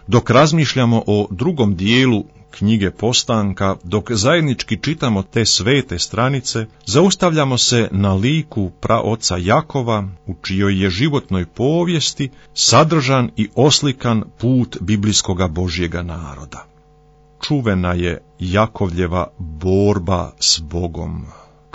dok razmišljamo o drugom dijelu knjige Postanka, dok zajednički čitamo te svete stranice, zaustavljamo se na liku praoca Jakova, u čijoj je životnoj povijesti sadržan i oslikan put biblijskoga Božjega naroda. Čuvena je Jakovljeva borba s Bogom.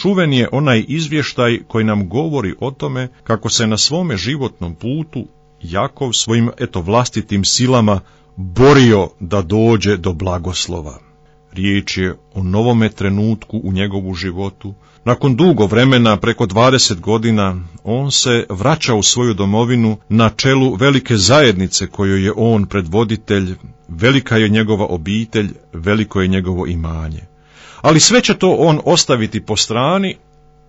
Čuven je onaj izvještaj koji nam govori o tome kako se na svome životnom putu Jakov svojim vlastitim silama borio da dođe do blagoslova. Riječ je o novome trenutku u njegovu životu. Nakon dugo vremena, preko 20 godina, on se vraća u svoju domovinu na čelu velike zajednice kojoj je on predvoditelj, velika je njegova obitelj, veliko je njegovo imanje. Ali sve će to on ostaviti po strani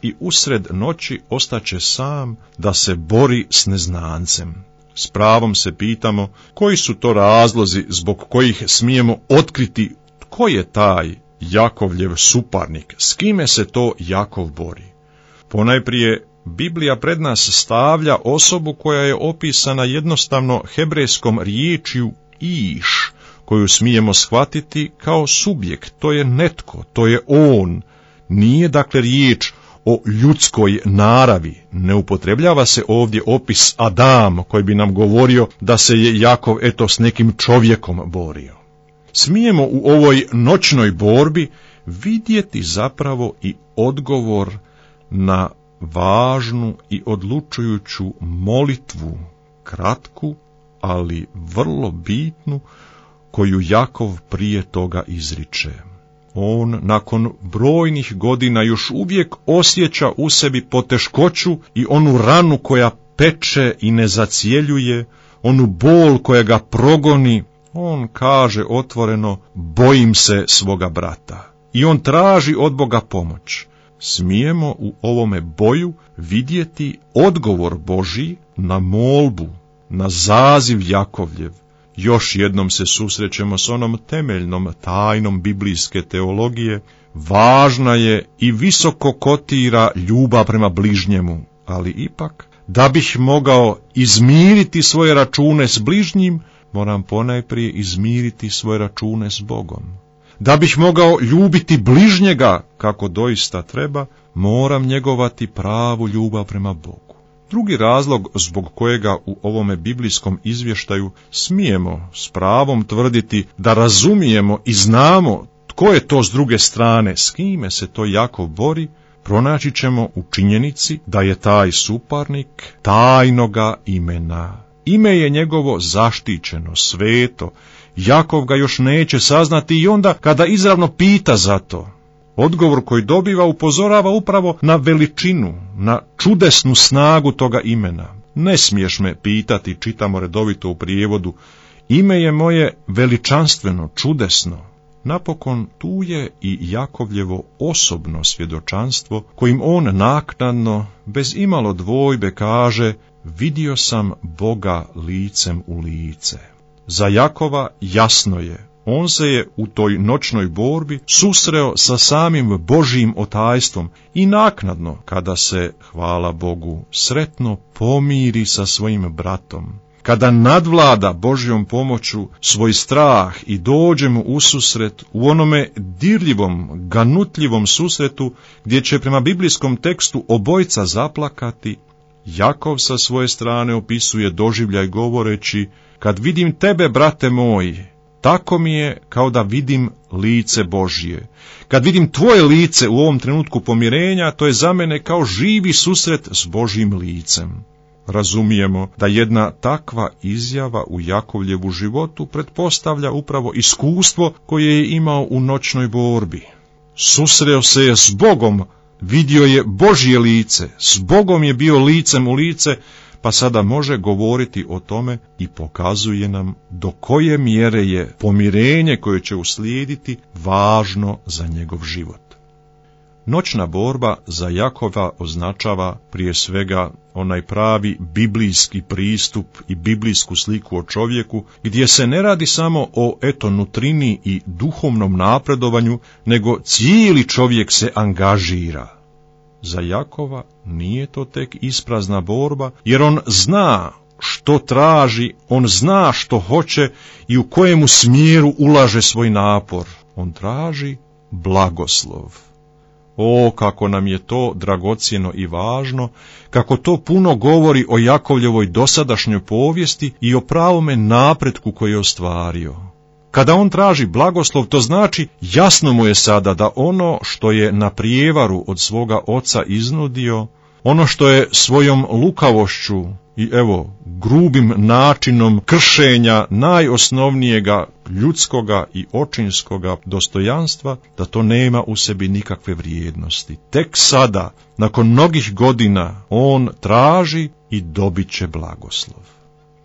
i usred noći ostaće sam da se bori s neznancem. S pravom se pitamo koji su to razlozi zbog kojih smijemo otkriti tko je taj Jakovljev suparnik, s kime se to Jakov bori. Ponajprije, Biblija pred nas stavlja osobu koja je opisana jednostavno hebrejskom riječju iš, koju smijemo shvatiti kao subjekt, to je netko, to je on. Nije dakle riječ o ljudskoj naravi, ne upotrebljava se ovdje opis Adam koji bi nam govorio da se je Jakov s nekim čovjekom borio. Smijemo u ovoj noćnoj borbi vidjeti zapravo i odgovor na važnu i odlučujuću molitvu, kratku, ali vrlo bitnu, koju Jakov prije toga izriče. On nakon brojnih godina još uvijek osjeća u sebi poteškoću i onu ranu koja peče i ne zacjeljuje, onu bol koja ga progoni. On kaže otvoreno, bojim se svoga brata. I on traži od Boga pomoć. Smijemo u ovome boju vidjeti odgovor Božji na molbu, na zaziv Jakovljev. Još jednom se susrećemo s onom temeljnom tajnom biblijske teologije. Važna je i visoko kotira ljubav prema bližnjemu, ali ipak, da bih mogao izmiriti svoje račune s bližnjim, moram ponajprije izmiriti svoje račune s Bogom. Da bih mogao ljubiti bližnjega kako doista treba, moram njegovati pravu ljubav prema Bogu. Drugi razlog zbog kojega u ovome biblijskom izvještaju smijemo s pravom tvrditi da razumijemo i znamo tko je to s druge strane, s kime se to Jakov bori, pronaći ćemo u činjenici da je taj suparnik tajnoga imena. Ime je njegovo zaštićeno, sveto. Jakov ga još neće saznati i onda kada izravno pita za to, odgovor koji dobiva upozorava upravo na veličinu, na čudesnu snagu toga imena. Ne smiješ me pitati, čitamo redovito u prijevodu, ime je moje veličanstveno, čudesno. Napokon tu je i Jakovljevo osobno svjedočanstvo, kojim on naknadno, bez imalo dvojbe kaže, vidio sam Boga licem u lice. Za Jakova jasno je, on se je u toj noćnoj borbi susreo sa samim Božjim otajstvom i naknadno, kada se, hvala Bogu, sretno pomiri sa svojim bratom, kada nadvlada Božjom pomoću svoj strah i dođe mu ususret u onome dirljivom, ganutljivom susretu, gdje će prema biblijskom tekstu obojca zaplakati, Jakov sa svoje strane opisuje doživljaj govoreći, kad vidim tebe, brate moj, tako mi je kao da vidim lice Božje. Kad vidim tvoje lice u ovom trenutku pomirenja, to je za mene kao živi susret s Božjim licem. Razumijemo da jedna takva izjava u Jakovljevu životu pretpostavlja upravo iskustvo koje je imao u noćnoj borbi. Susreo se je s Bogom, vidio je Božje lice, s Bogom je bio licem u lice, pa sada može govoriti o tome i pokazuje nam do koje mjere je pomirenje koje će uslijediti važno za njegov život. Noćna borba za Jakova označava prije svega onaj pravi biblijski pristup i biblijsku sliku o čovjeku, gdje se ne radi samo o nutrini i duhovnom napredovanju, nego cijeli čovjek se angažira. Za Jakova nije to tek isprazna borba, jer on zna što traži, on zna što hoće i u kojemu smjeru ulaže svoj napor. On traži blagoslov. O, kako nam je to dragocjeno i važno, kako to puno govori o Jakovljevoj dosadašnjoj povijesti i o pravome napretku koji je ostvario. Kada on traži blagoslov, to znači jasno mu je sada da ono što je na prijevaru od svoga oca iznudio, ono što je svojom lukavošću i grubim načinom kršenja najosnovnijega ljudskoga i očinskoga dostojanstva, da to nema u sebi nikakve vrijednosti. Tek sada, nakon mnogih godina, on traži i dobit će blagoslov.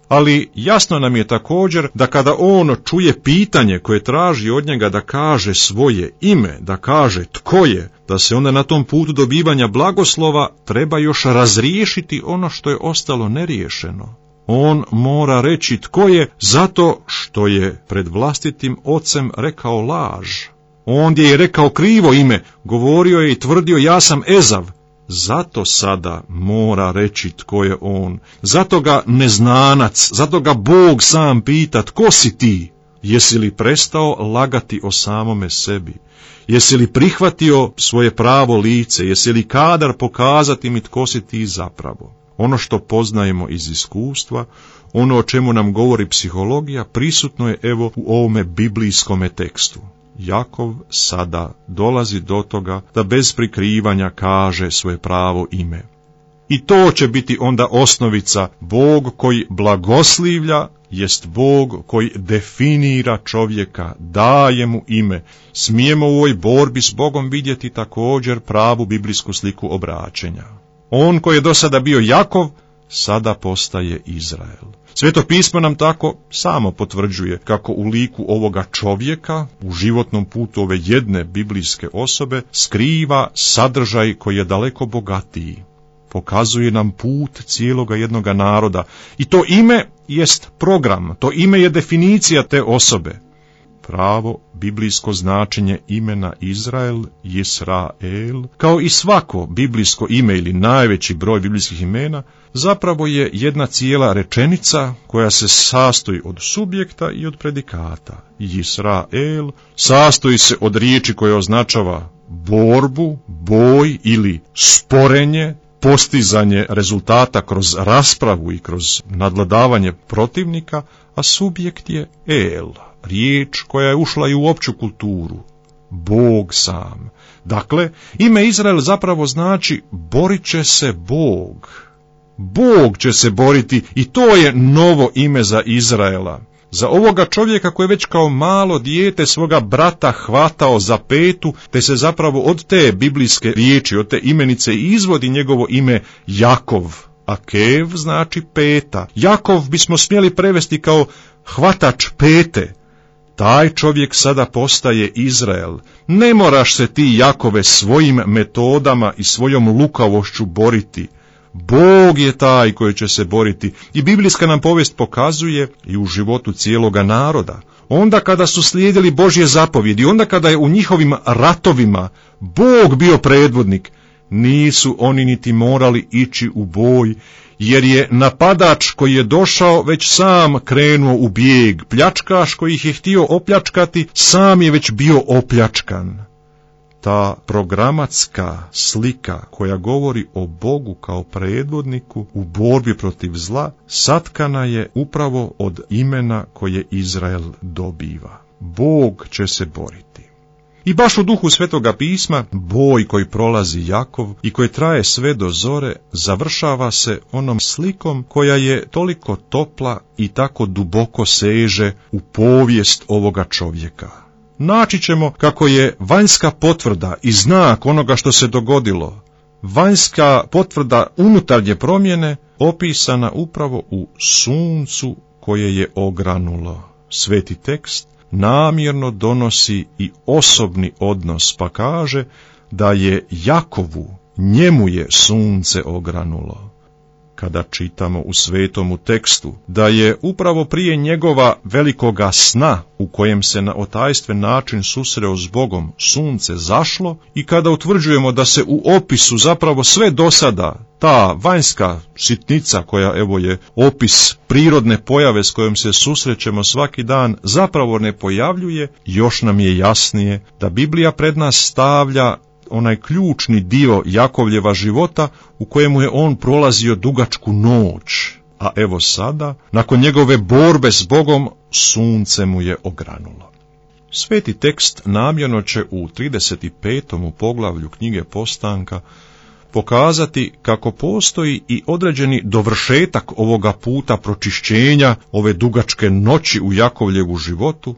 Ali jasno nam je također da kada on čuje pitanje koje traži od njega da kaže svoje ime, da kaže tko je, da se onda na tom putu dobivanja blagoslova treba još razriješiti ono što je ostalo neriješeno. On mora reći tko je zato što je pred vlastitim ocem rekao laž. Ondje je rekao krivo ime, govorio je i tvrdio ja sam Ezav. Zato sada mora reći tko je on. Zato ga neznanac, zato ga Bog sam pita tko si ti? Jesi li prestao lagati o samome sebi? Jesi li prihvatio svoje pravo lice? Jesi li kadar pokazati mi tko si ti zapravo? Ono što poznajemo iz iskustva, ono o čemu nam govori psihologija, prisutno je u ovome biblijskome tekstu. Jakov sada dolazi do toga da bez prikrivanja kaže svoje pravo ime. I to će biti onda osnovica. Bog koji blagoslivlja jest Bog koji definira čovjeka, daje mu ime. Smijemo u ovoj borbi s Bogom vidjeti također pravu biblijsku sliku obraćenja. On koji je do sada bio Jakov, sada postaje Izrael. Sveto pismo nam tako samo potvrđuje kako u liku ovoga čovjeka, u životnom putu ove jedne biblijske osobe, skriva sadržaj koji je daleko bogatiji. Pokazuje nam put cijeloga jednoga naroda i to ime jest program, to ime je definicija te osobe. Pravo biblijsko značenje imena Izrael, Jisrael, kao i svako biblijsko ime ili najveći broj biblijskih imena, zapravo je jedna cijela rečenica koja se sastoji od subjekta i od predikata. Jisrael sastoji se od riječi koja označava borbu, boj ili sporenje, postizanje rezultata kroz raspravu i kroz nadvladavanje protivnika, a subjekt je El, riječ koja je ušla i u opću kulturu, Bog sam. Dakle, ime Izrael zapravo znači borit će se Bog. Bog će se boriti i to je novo ime za Izraela. Za ovoga čovjeka koji je već kao malo dijete svoga brata hvatao za petu, te se zapravo od te biblijske riječi, od te imenice izvodi njegovo ime Jakov. A Kev znači peta. Jakov bismo smjeli prevesti kao hvatač pete. Taj čovjek sada postaje Izrael. Ne moraš se ti, Jakove, svojim metodama i svojom lukavošću boriti. Bog je taj koji će se boriti i biblijska nam povijest pokazuje i u životu cijeloga naroda. Onda kada su slijedili Božje zapovjedi, onda kada je u njihovim ratovima Bog bio predvodnik, nisu oni niti morali ići u boj, jer je napadač koji je došao već sam krenuo u bijeg. Pljačkaš koji ih je htio opljačkati, sam je već bio opljačkan. Ta programatska slika koja govori o Bogu kao predvodniku u borbi protiv zla, satkana je upravo od imena koje Izrael dobiva. Bog će se boriti. I baš u duhu Svetoga pisma, boj koji prolazi Jakov i koji traje sve do zore, završava se onom slikom koja je toliko topla i tako duboko seže u povijest ovoga čovjeka. Naći ćemo kako je vanjska potvrda i znak onoga što se dogodilo, vanjska potvrda unutarnje promjene, opisana upravo u suncu koje je ogranulo. Sveti tekst namjerno donosi i osobni odnos, pa kaže da je Jakovu, njemu je sunce ogranulo. kada čitamo u svetomu tekstu da je upravo prije njegova velikoga sna u kojem se na otajstven način susreo s Bogom sunce zašlo i kada utvrđujemo da se u opisu zapravo sve do sada ta vanjska sitnica koja evo je opis prirodne pojave s kojom se susrećemo svaki dan zapravo ne pojavljuje, još nam je jasnije da Biblija pred nas stavlja onaj ključni dio Jakovljeva života u kojemu je on prolazio dugačku noć, a evo sada, nakon njegove borbe s Bogom, sunce mu je ogranulo. Sveti tekst namjerno će u 35. poglavlju knjige Postanka pokazati kako postoji i određeni dovršetak ovoga puta pročišćenja, ove dugačke noći u Jakovljevu životu.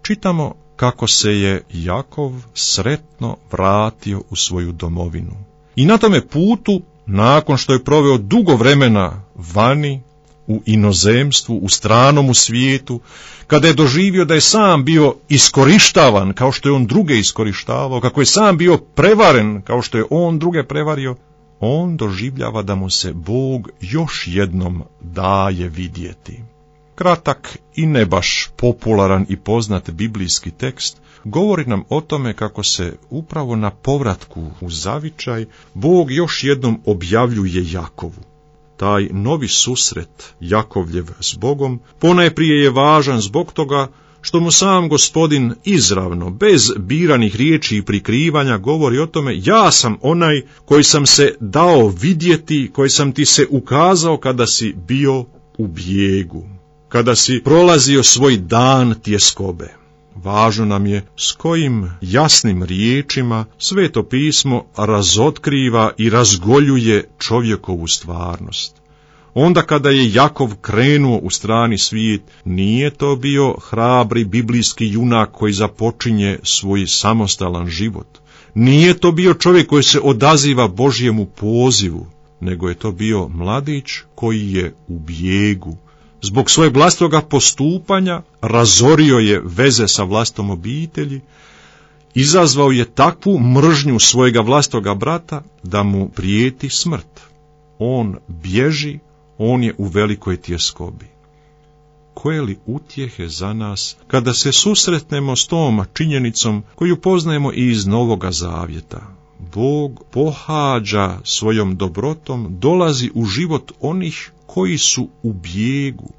Čitamo kako se je Jakov sretno vratio u svoju domovinu. I na tome putu, nakon što je proveo dugo vremena vani, u inozemstvu, u stranomu svijetu, kada je doživio da je sam bio iskorištavan kao što je on druge iskorištavao, kako je sam bio prevaren kao što je on druge prevario, on doživljava da mu se Bog još jednom daje vidjeti. Kratak i ne baš popularan i poznat biblijski tekst govori nam o tome kako se upravo na povratku u zavičaj Bog još jednom objavljuje Jakovu. Taj novi susret Jakovljev s Bogom ponajprije je važan zbog toga što mu sam Gospodin izravno, bez biranih riječi i prikrivanja, govori o tome: ja sam onaj koji sam se dao vidjeti, koji sam ti se ukazao kada si bio u bijegu, kada si prolazio svoj dan tjeskobe. Važno nam je s kojim jasnim riječima Sveto pismo razotkriva i razgoljuje čovjekovu stvarnost. Onda kada je Jakov krenuo u strani svijet, nije to bio hrabri biblijski junak koji započinje svoj samostalan život. Nije to bio čovjek koji se odaziva Božjemu pozivu, nego je to bio mladić koji je u bijegu. Zbog svojeg vlastitoga postupanja razorio je veze sa vlastom obitelji, izazvao je takvu mržnju svojega vlastitoga brata da mu prijeti smrt. On bježi, on je u velikoj tjeskobi. Koje li utjehe za nas kada se susretnemo s tom činjenicom koju poznajemo i iz Novoga Zavjeta. Bog pohađa svojom dobrotom, dolazi u život onih koji su u bijegu.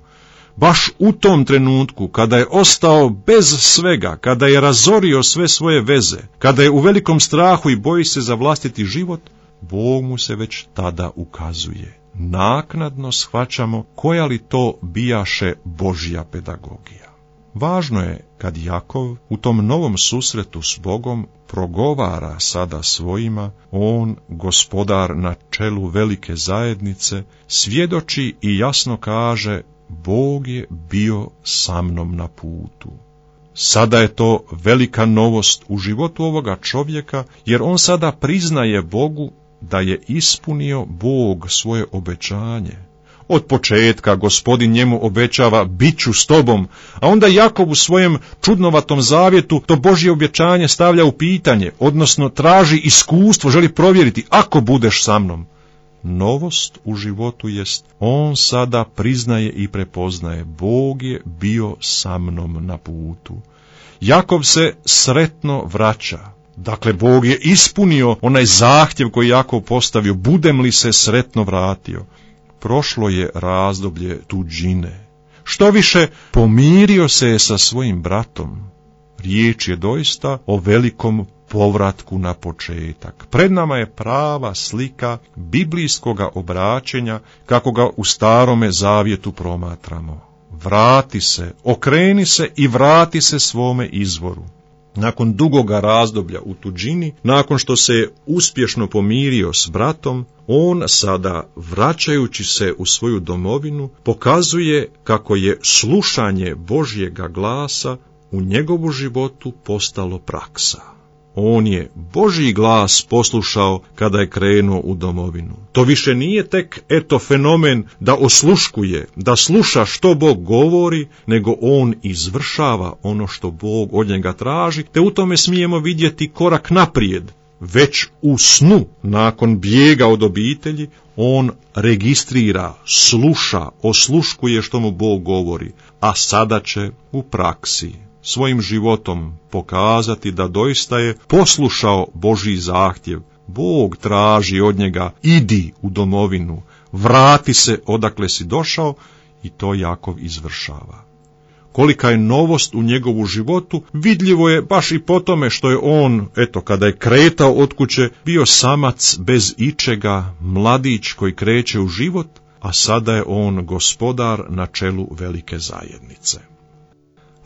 Baš u tom trenutku, kada je ostao bez svega, kada je razorio sve svoje veze, kada je u velikom strahu i boji se za vlastiti život, Bog mu se već tada ukazuje. Naknadno shvaćamo koja li to bijaše Božja pedagogija. Važno je kad Jakov u tom novom susretu s Bogom progovara sada svojima, on, gospodar na čelu velike zajednice, svjedoči i jasno kaže: Bog je bio sa mnom na putu. Sada je to velika novost u životu ovoga čovjeka, jer on sada priznaje Bogu da je ispunio Bog svoje obećanje. Od početka Gospodin njemu obećava: bit ću s tobom, a onda Jakov u svojem čudnovatom zavjetu to Božje obećanje stavlja u pitanje, odnosno traži iskustvo, želi provjeriti: ako budeš sa mnom. Novost u životu jest, on sada priznaje i prepoznaje: Bog je bio sa mnom na putu. Jakov se sretno vraća. Dakle, Bog je ispunio onaj zahtjev koji Jakov postavio: budem li se sretno vratio. Prošlo je razdoblje tuđine. Što više, pomirio se je sa svojim bratom. Riječ je doista o velikom povratku na početak. Pred nama je prava slika biblijskoga obraćenja kako ga u Starome Zavjetu promatramo. Vrati se, okreni se i vrati se svome izvoru. Nakon dugoga razdoblja u tuđini, nakon što se je uspješno pomirio s bratom, on sada, vraćajući se u svoju domovinu, pokazuje kako je slušanje Božjega glasa u njegovu životu postalo praksa. On je Božji glas poslušao kada je krenuo u domovinu. To više nije tek fenomen da osluškuje, da sluša što Bog govori, nego on izvršava ono što Bog od njega traži, te u tome smijemo vidjeti korak naprijed. već u snu, nakon bijega od obitelji, on registrira, sluša, osluškuje što mu Bog govori, a sada će u praksi svojim životom pokazati da doista je poslušao Božji zahtjev. Bog traži od njega, idi u domovinu, vrati se odakle si došao, i to Jakov izvršava. Kolika je novost u njegovu životu, vidljivo je baš i po tome što je on, kada je kretao od kuće, bio samac bez ičega, mladić koji kreće u život, a sada je on gospodar na čelu velike zajednice.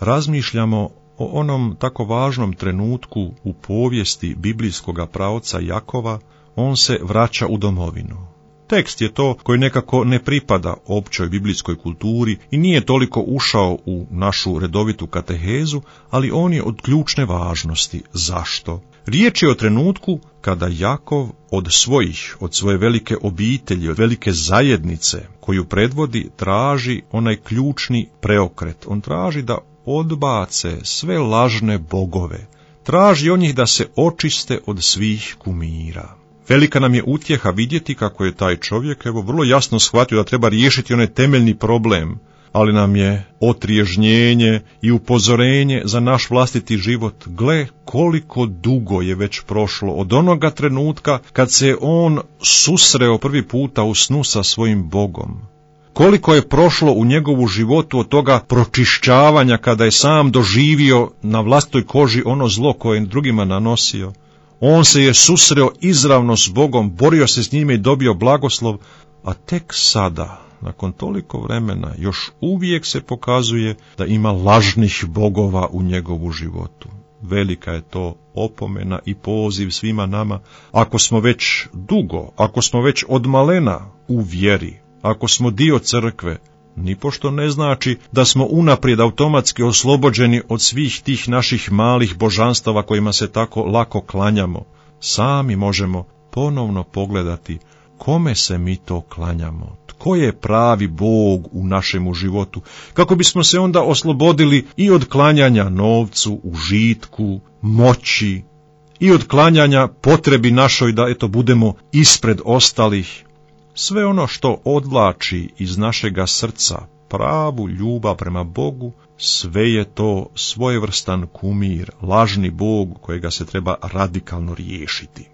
Razmišljamo o onom tako važnom trenutku u povijesti biblijskoga praoca Jakova. On se vraća u domovinu. Tekst je to koji nekako ne pripada općoj biblijskoj kulturi i nije toliko ušao u našu redovitu katehezu, ali on je od ključne važnosti. Zašto? Riječ je o trenutku kada Jakov od svoje velike obitelji, od velike zajednice koju predvodi, traži onaj ključni preokret. On traži da odbace sve lažne bogove. Traži od njih da se očiste od svih kumira. Velika nam je utjeha vidjeti kako je taj čovjek vrlo jasno shvatio da treba riješiti onaj temeljni problem, ali nam je otriježnjenje i upozorenje za naš vlastiti život. Gle, koliko dugo je već prošlo od onoga trenutka kad se on susreo prvi puta u snu sa svojim Bogom. Koliko je prošlo u njegovu životu od toga pročišćavanja kada je sam doživio na vlastitoj koži ono zlo koje je drugima nanosio. On se je susreo izravno s Bogom, borio se s njime i dobio blagoslov, a tek sada, nakon toliko vremena, još uvijek se pokazuje da ima lažnih bogova u njegovu životu. Velika je to opomena i poziv svima nama, ako smo već dugo, ako smo već od malena u vjeri, ako smo dio crkve, nipošto ne znači da smo unaprijed automatski oslobođeni od svih tih naših malih božanstava kojima se tako lako klanjamo. Sami možemo ponovno pogledati kome se mi to klanjamo, tko je pravi Bog u našemu životu, kako bismo se onda oslobodili i od klanjanja novcu, užitku, moći, i od klanjanja potrebi našoj da budemo ispred ostalih. Sve ono što odvlači iz našega srca pravu ljubav prema Bogu, sve je to svojevrstan kumir, lažni Bog kojega se treba radikalno riješiti.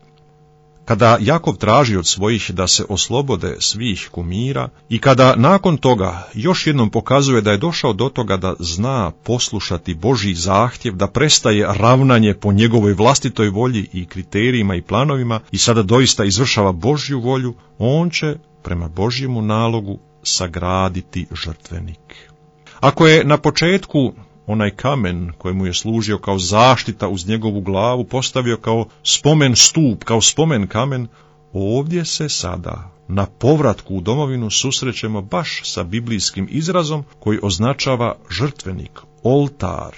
Kada Jakov traži od svojih da se oslobode svih kumira i kada nakon toga još jednom pokazuje da je došao do toga da zna poslušati Božji zahtjev, da prestaje ravnanje po njegovoj vlastitoj volji i kriterijima i planovima i sada doista izvršava Božju volju, on će prema Božjemu nalogu sagraditi žrtvenik. Ako je na početku onaj kamen kojemu je služio kao zaštita uz njegovu glavu postavio kao spomen stup, kao spomen kamen, ovdje se sada na povratku u domovinu susrećemo baš sa biblijskim izrazom koji označava žrtvenik, oltar.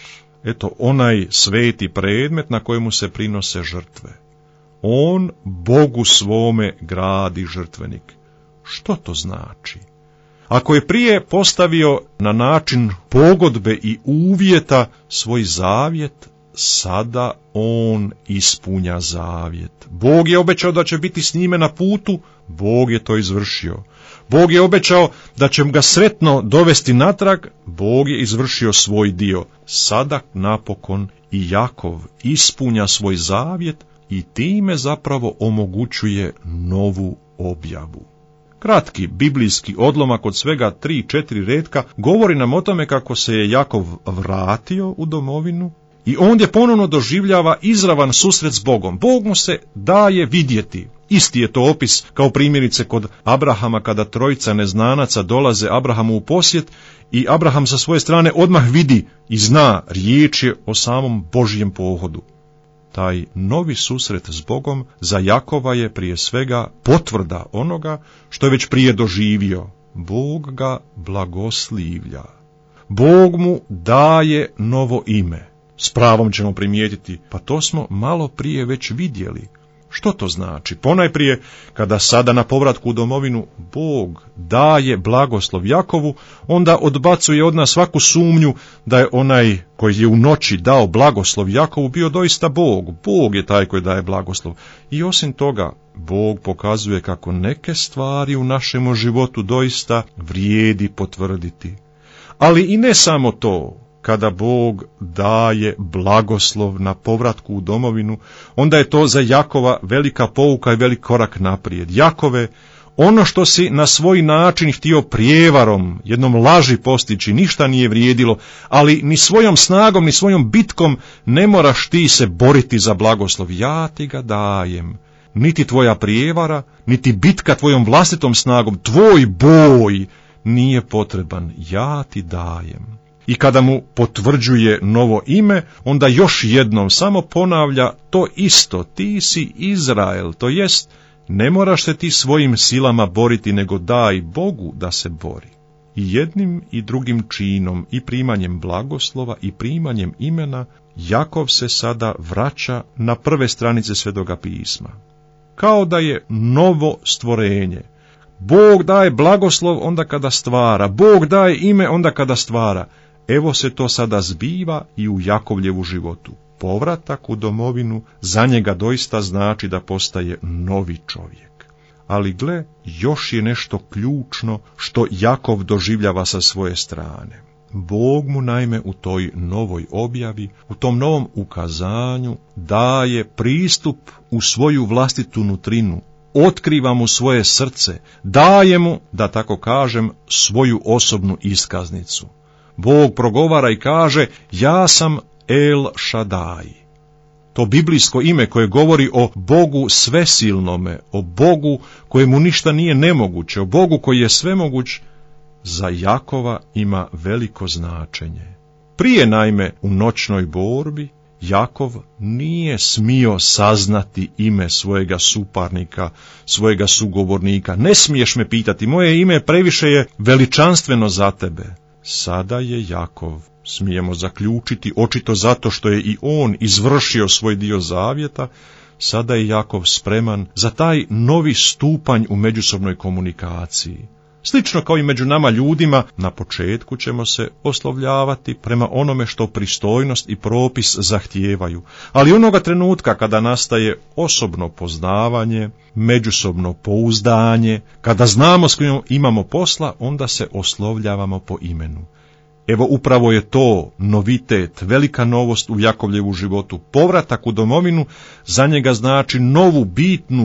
Onaj sveti predmet na kojemu se prinose žrtve. On Bogu svome gradi žrtvenik. Što to znači? Ako je prije postavio na način pogodbe i uvjeta svoj zavjet, sada on ispunja zavjet. Bog je obećao da će biti s njime na putu, Bog je to izvršio. Bog je obećao da će ga sretno dovesti natrag, Bog je izvršio svoj dio. Sada napokon i Jakov ispunja svoj zavjet i time zapravo omogućuje novu objavu. Kratki biblijski odlomak od svega 3-4 retka govori nam o tome kako se je Jakov vratio u domovinu i ondje ponovno doživljava izravan susret s Bogom. Bog mu se daje vidjeti. Isti je to opis kao primjerice kod Abrahama kada trojica neznanaca dolaze Abrahamu u posjet i Abraham sa svoje strane odmah vidi i zna, riječ je o samom Božjem pohodu. Taj novi susret s Bogom za Jakova je prije svega potvrda onoga što je već prije doživio. Bog ga blagoslivlja. Bog mu daje novo ime. S pravom ćemo primijetiti, pa to smo malo prije već vidjeli. Što to znači? Ponajprije, kada sada na povratku u domovinu Bog daje blagoslov Jakovu, onda odbacuje od nas svaku sumnju da je onaj koji je u noći dao blagoslov Jakovu bio doista Bog. Bog je taj koji daje blagoslov. I osim toga, Bog pokazuje kako neke stvari u našem životu doista vrijedi potvrditi. Ali i ne samo to. Kada Bog daje blagoslov na povratku u domovinu, onda je to za Jakova velika pouka i velik korak naprijed. Jakove, ono što si na svoj način htio prijevarom, jednom laži postići, ništa nije vrijedilo, ali ni svojom snagom, ni svojom bitkom ne moraš ti se boriti za blagoslov. Ja ti ga dajem. Niti tvoja prijevara, niti bitka tvojom vlastitom snagom, tvoj boj nije potreban. Ja ti dajem. I kada mu potvrđuje novo ime, onda još jednom samo ponavlja to isto, ti si Izrael, to jest ne moraš se ti svojim silama boriti, nego daj Bogu da se bori. I jednim i drugim činom, i primanjem blagoslova, i primanjem imena, Jakov se sada vraća na prve stranice Svetoga pisma. Kao da je novo stvorenje. Bog daje blagoslov onda kada stvara, Bog daje ime onda kada stvara. Evo se to sada zbiva i u Jakovljevu životu. Povratak u domovinu za njega doista znači da postaje novi čovjek. Ali gle, još je nešto ključno što Jakov doživljava sa svoje strane. Bog mu naime u toj novoj objavi, u tom novom ukazanju daje pristup u svoju vlastitu nutrinu, otkriva mu svoje srce, daje mu, da tako kažem, svoju osobnu iskaznicu. Bog progovara i kaže, ja sam El Šadaj. To biblijsko ime koje govori o Bogu svesilnome, o Bogu kojemu ništa nije nemoguće, o Bogu koji je svemoguć, za Jakova ima veliko značenje. Prije naime u noćnoj borbi Jakov nije smio saznati ime svojega suparnika, svojega sugovornika. Ne smiješ me pitati, moje ime previše je veličanstveno za tebe. Sada je Jakov, smijemo zaključiti, očito zato što je i on izvršio svoj dio zavjeta, sada je Jakov spreman za taj novi stupanj u međusobnoj komunikaciji. Slično kao i među nama ljudima, na početku ćemo se oslovljavati prema onome što pristojnost i propis zahtijevaju, ali onoga trenutka kada nastaje osobno poznavanje, međusobno pouzdanje, kada znamo s kojim imamo posla, onda se oslovljavamo po imenu. Evo upravo je to novitet, velika novost u Jakovljevu životu. Povratak u domovinu za njega znači novu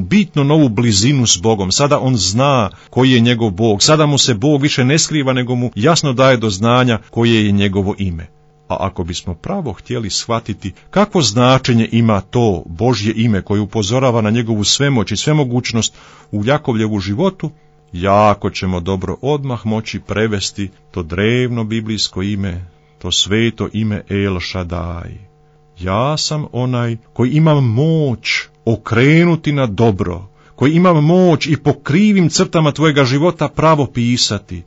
bitno novu blizinu s Bogom. Sada on zna koji je njegov Bog. Sada mu se Bog više ne skriva, nego mu jasno daje do znanja koje je njegovo ime. A ako bismo pravo htjeli shvatiti kakvo značenje ima to Božje ime koje upozorava na njegovu svemoć i svemogućnost u Jakovljevu životu, jako ćemo dobro odmah moći prevesti to drevno biblijsko ime, to sveto ime El Šadaj. Ja sam onaj koji imam moć okrenuti na dobro, koji imam moć i po krivim crtama tvojega života pravo pisati.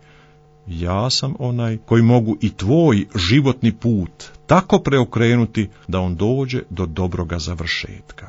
Ja sam onaj koji mogu i tvoj životni put tako preokrenuti da on dođe do dobroga završetka.